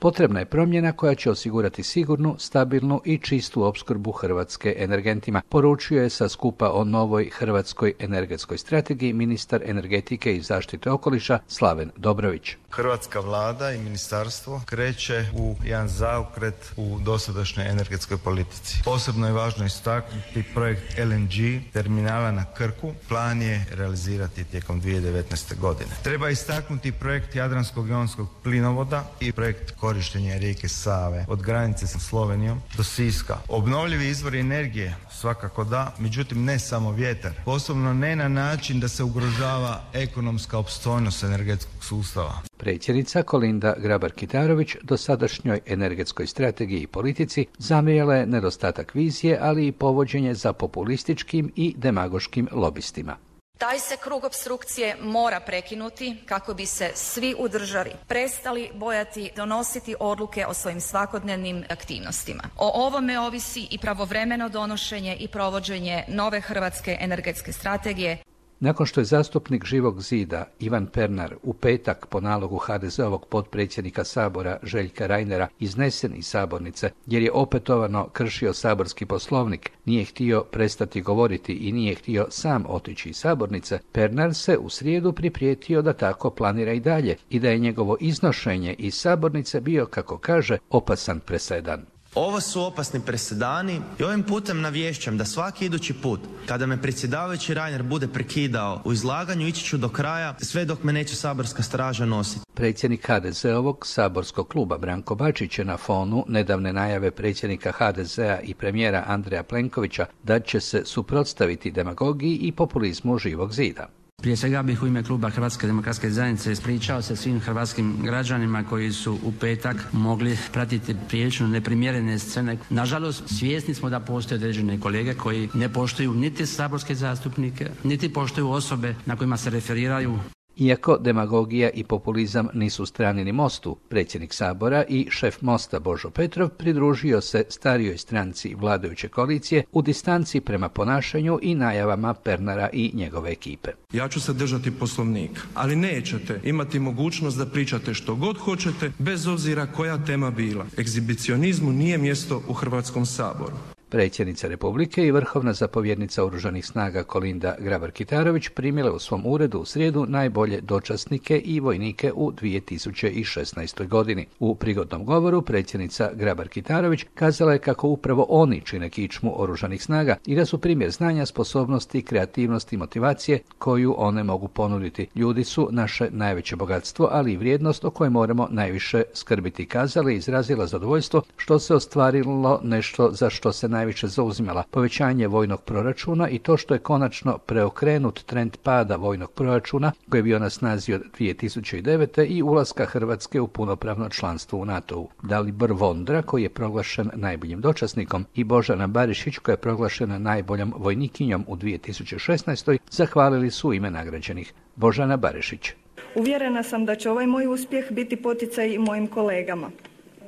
Potrebna je promjena koja će osigurati sigurnu, stabilnu i čistu opskrbu Hrvatske energentima, poručio je sa skupa o novoj hrvatskoj energetskoj strategiji ministar energetike i zaštite okoliša Slaven Dobrović. Hrvatska vlada i ministarstvo kreće u jedan zaokret u dosadašnjoj energetskoj politici. Posebno je važno istaknuti projekt LNG terminala na Krku. Plan je realizirati tijekom 2019. godine. Treba istaknuti projekt Jadranskog jonskog plinovoda i projekt korištenja rijeke Save od granice sa Slovenijom do Siska. Obnovljivi izvori energije svakako da, međutim ne samo vjetar. Posebno ne na način da se ugrožava ekonomska opstojnost energetskog sustava. Predsjednica Kolinda Grabar-Kitarović dosadašnjoj energetskoj strategiji i politici zamjerila je nedostatak vizije, ali i povođenje za populističkim i demagoškim lobistima. Taj se krug opstrukcije mora prekinuti kako bi se svi u državi prestali bojati donositi odluke o svojim svakodnevnim aktivnostima. O ovome ovisi i pravovremeno donošenje i provođenje nove hrvatske energetske strategije. Nakon što je zastupnik Živog zida Ivan Pernar u petak po nalogu HDZ-ovog potpredsjednika Sabora Željka Reinera iznesen iz sabornice jer je opetovano kršio saborski poslovnik, nije htio prestati govoriti i nije htio sam otići iz sabornice, Pernar se u srijedu priprijetio da tako planira i dalje i da je njegovo iznošenje iz sabornice bio, kako kaže, opasan presedan. Ovo su opasni presedani i ovim putem navješćam da svaki idući put kada me predsjedavajući Reiner bude prekidao u izlaganju ići ću do kraja sve dok me neće saborska straža nositi. Predsjednik HDZ-ovog saborskog kluba Branko Bačić je na fonu nedavne najave predsjednika HDZ-a i premijera Andreja Plenkovića da će se suprotstaviti demagogiji i populizmu Živog zida. Prije svega bih u ime kluba Hrvatske demokratske zajednice ispričao se svim hrvatskim građanima koji su u petak mogli pratiti prilično neprimjerene scene. Nažalost, svjesni smo da postoje određene kolege koji ne poštuju niti saborske zastupnike, niti poštuju osobe na kojima se referiraju. Iako demagogija i populizam nisu strani ni Mostu, predsjednik Sabora i šef Mosta Božo Petrov pridružio se starijoj stranci vladajuće koalicije u distanci prema ponašanju i najavama Pernara i njegove ekipe. Ja ću se držati Poslovnika, ali nećete imati mogućnost da pričate što god hoćete, bez obzira koja tema bila. Egzibicionizmu nije mjesto u Hrvatskom saboru. Predsjednica Republike i vrhovna zapovjednica Oružanih snaga Kolinda Grabar-Kitarović primile u svom uredu u srijedu najbolje dočasnike i vojnike u 2016. godini. U prigodnom govoru predsjednica Grabar-Kitarović kazala je kako upravo oni čine kičmu Oružanih snaga i da su primjer znanja, sposobnosti, kreativnosti i motivacije koju one mogu ponuditi. Ljudi su naše najveće bogatstvo, ali i vrijednost o kojoj moramo najviše skrbiti, kazala i izrazila zadovoljstvo što se ostvarilo nešto za što se najviše zauzimala, povećanje vojnog proračuna i to što je konačno preokrenut trend pada vojnog proračuna koji je bio na snazi od 2009. i ulaska Hrvatske u punopravno članstvo u NATO-u. Dalibor Vondra, koji je proglašen najboljim dočasnikom, i Božana Barišić, koja je proglašena najboljom vojnikinjom u 2016. zahvalili su ime nagrađenih. Božana Barišić. Uvjerena sam da će ovaj moj uspjeh biti poticaj i mojim kolegama.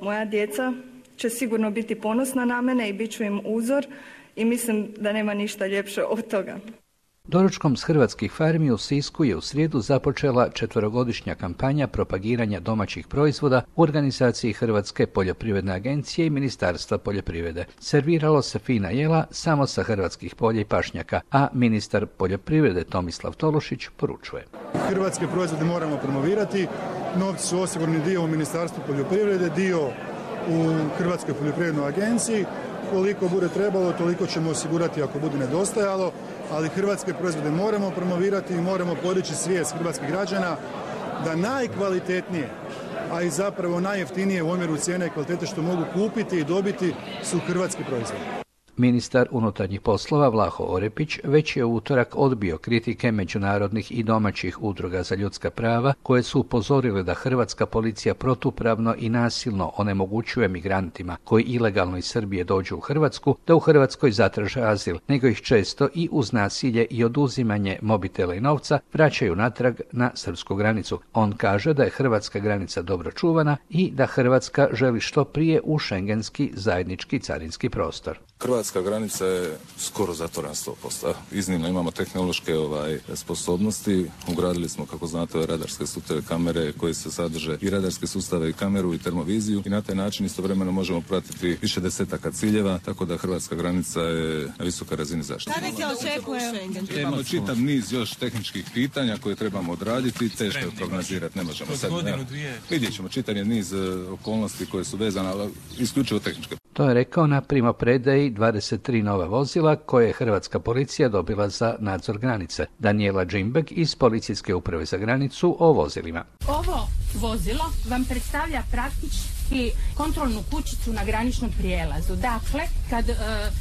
Moja djeca će sigurno biti ponosna na mene i bit ću im uzor i mislim da nema ništa ljepše od toga. Doručkom s hrvatskih farmi u Sisku je u srijedu započela 4-godišnja kampanja propagiranja domaćih proizvoda u organizaciji Hrvatske poljoprivredne agencije i Ministarstva poljoprivrede. Serviralo se fina jela samo sa hrvatskih polja i pašnjaka, a ministar poljoprivrede Tomislav Tolušić poručuje. Hrvatske proizvode moramo promovirati, novci su osigurani dio u Ministarstvu poljoprivrede, dio u Hrvatskoj poljoprivrednoj agenciji. Koliko bude trebalo, toliko ćemo osigurati ako bude nedostajalo, ali hrvatske proizvode moramo promovirati i moramo podići svijest hrvatskih građana da najkvalitetnije, a i zapravo najjeftinije u omjeru cijene i kvalitete što mogu kupiti i dobiti su hrvatski proizvodi. Ministar unutarnjih poslova Vlaho Orepić već je u utorak odbio kritike međunarodnih i domaćih udruga za ljudska prava koje su upozorile da hrvatska policija protupravno i nasilno onemogućuje migrantima koji ilegalno iz Srbije dođu u Hrvatsku da u Hrvatskoj zatraže azil, nego ih često i uz nasilje i oduzimanje mobitela i novca vraćaju natrag na srpsku granicu. On kaže da je hrvatska granica dobro čuvana i da Hrvatska želi što prije u šengenski zajednički carinski prostor. Hrvatska hrvatska granica je skoro zatvorena 100%. Iznimno imamo tehnološke sposobnosti. Ugradili smo, kako znate, radarske sustave kamere koje se sadrže i radarske sustave i kameru i termoviziju i na taj način istovremeno možemo pratiti više desetaka ciljeva, tako da hrvatska granica je na visokoj razini zaštite. Imamo čitav niz još tehničkih pitanja koje trebamo odraditi, teško je prognozirati, ne možemo sad. Vidjet ćemo čitav niz okolnosti koje su vezane, ali isključivo tehničke. To je rekao na primopredaji 23 nova vozila koje je hrvatska policija dobila za nadzor granice. Daniela Džimbek iz Policijske uprave za granicu o vozilima. Ovo vozilo vam predstavlja praktički kontrolnu kućicu na graničnom prijelazu. Dakle, kad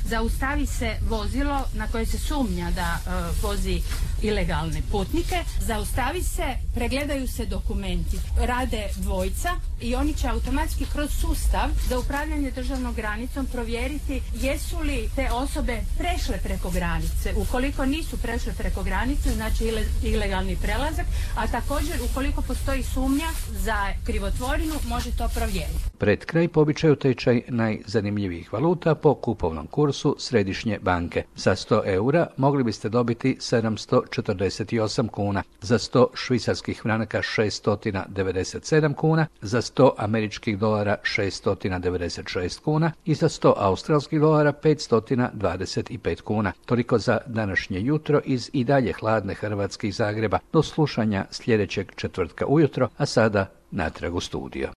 zaustavi se vozilo na koje se sumnja da vozi ilegalne putnike, zaustavi se, pregledaju se dokumenti, rade dvojica i oni će automatski kroz sustav za upravljanje državnom granicom provjeriti jesu li te osobe prešle preko granice. Ukoliko nisu prešle preko granice, znači ilegalni prelazak, a također ukoliko postoji sumnja za krivotvorinu, može to provjeriti. Pred kraj po običaju tečaj najzanimljivijih valuta po kupovnom kursu Središnje banke. Za 100 eura mogli biste dobiti 748 kuna, za 100 švicarskih franaka 697 kuna, za 100 američkih dolara 696 kuna i za 100 australskih dolara 525 kuna. Toliko za današnje jutro iz i dalje hladne Hrvatske i Zagreba. Do slušanja sljedećeg četvrtka ujutro, a sada natrag u studio.